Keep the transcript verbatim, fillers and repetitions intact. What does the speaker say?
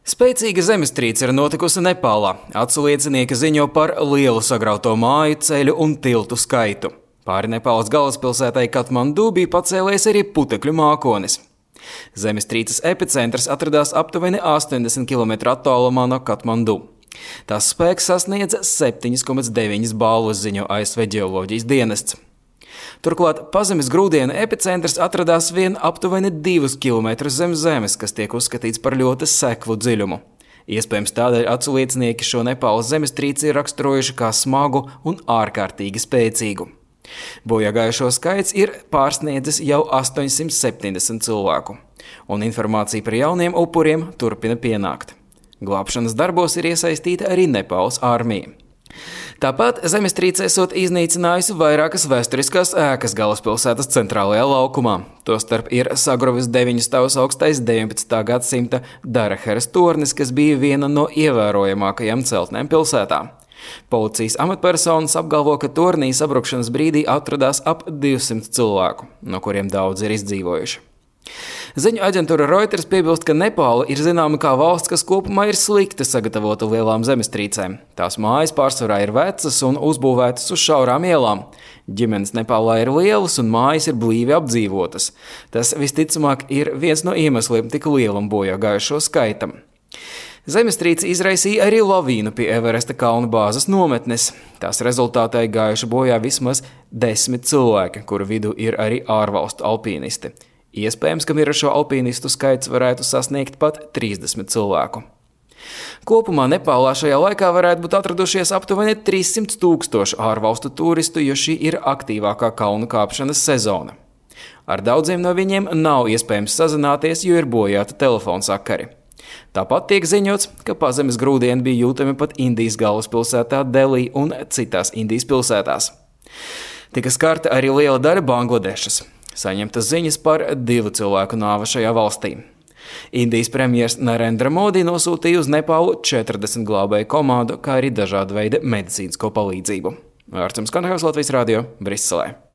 Spēcīga zemestrīce ir notikusi Nepālā. Atsliecinieki ziņo par lielu sagrauto māju, ceļu un tiltu skaitu. Pāri Nepālas galvaspilsētai Katmandu bija pacēlies arī putekļu mākonis. Zemestrīces epicentrs atradās aptuveni astoņdesmit kilometru attālumā no Katmandu. Tās spēks sasniedza septiņi komats deviņi balvas, ziņo A S V ģeoloģijas dienests. Turklāt pazemes grūdienu epicentrs atradās vien aptuveni divus kilometrus zem zemes, kas tiek uzskatīts par ļoti seklu dziļumu. Iespējams tādēļ atsliecinieki šo Nepālas zemestrīci ir raksturojuši kā smagu un ārkārtīgi spēcīgu. Bojāgājušo skaits ir pārsniedzis jau astoņsimt septiņdesmit cilvēku, un informācija par jauniem upuriem turpina pienākt. Glābšanas darbos ir iesaistīta arī Nepālas armija. Tāpat zemestrīce esot iznīcinājusi vairākas vēsturiskās ēkas galvaspilsētas centrālajā laukumā. Tostarp ir sagruvis deviņu stāvus augstais deviņpadsmitā gadsimta Daraheras tornis, kas bija viena no ievērojamākajām celtnēm pilsētā. Policijas amatpersonas apgalvo, ka tornī sabrukšanas brīdī atradās ap divsimt cilvēku, no kuriem daudz ir izdzīvojuši. Ziņu aģentūra Reuters piebilst, ka Nepāla ir zināma kā valsts, kas kopumā ir slikti sagatavota lielām zemestrīcēm. Tās mājas pārsvarā ir vecas un uzbūvētas uz šaurām ielām. Ģimenes Nepālā ir lielas un mājas ir blīvi apdzīvotas. Tas visticamāk ir viens no iemesliem tik lielam bojāgājušo skaitam. Zemestrīce izraisīja arī lavīnu pie Everesta kalnu bāzes nometnes. Tās rezultātā gājuši bojā vismaz desmit cilvēki, kuru vidū ir arī ārvalstu alpīnisti. Iespējams, ka mirušo alpīnistu skaits varētu sasniegt pat trīsdesmit cilvēku. Kopumā Nepālā šajā laikā varētu būt atradušies aptuveni trīssimt tūkstoši ārvalstu turistu, jo šī ir aktīvākā kalnu kāpšanas sezona. Ar daudziem no viņiem nav iespējams sazināties, jo ir bojāta telefonsakari. Tāpat tiek ziņots, ka pazemes grūdieni bija jūtami pat Indijas galvaspilsētā Delī un citās Indijas pilsētās. Tika skarta arī liela daļa Bangladešas. Saņemtas ziņas par divu cilvēku nāvi šajā valstī. Indijas premjers Narendra Modi nosūtīja uz Nepālu četrdesmit glābēju komandu, kā arī dažādu veidu medicīnisko palīdzību. Ārcums Kanahevs, Latvijas radio, Briselē.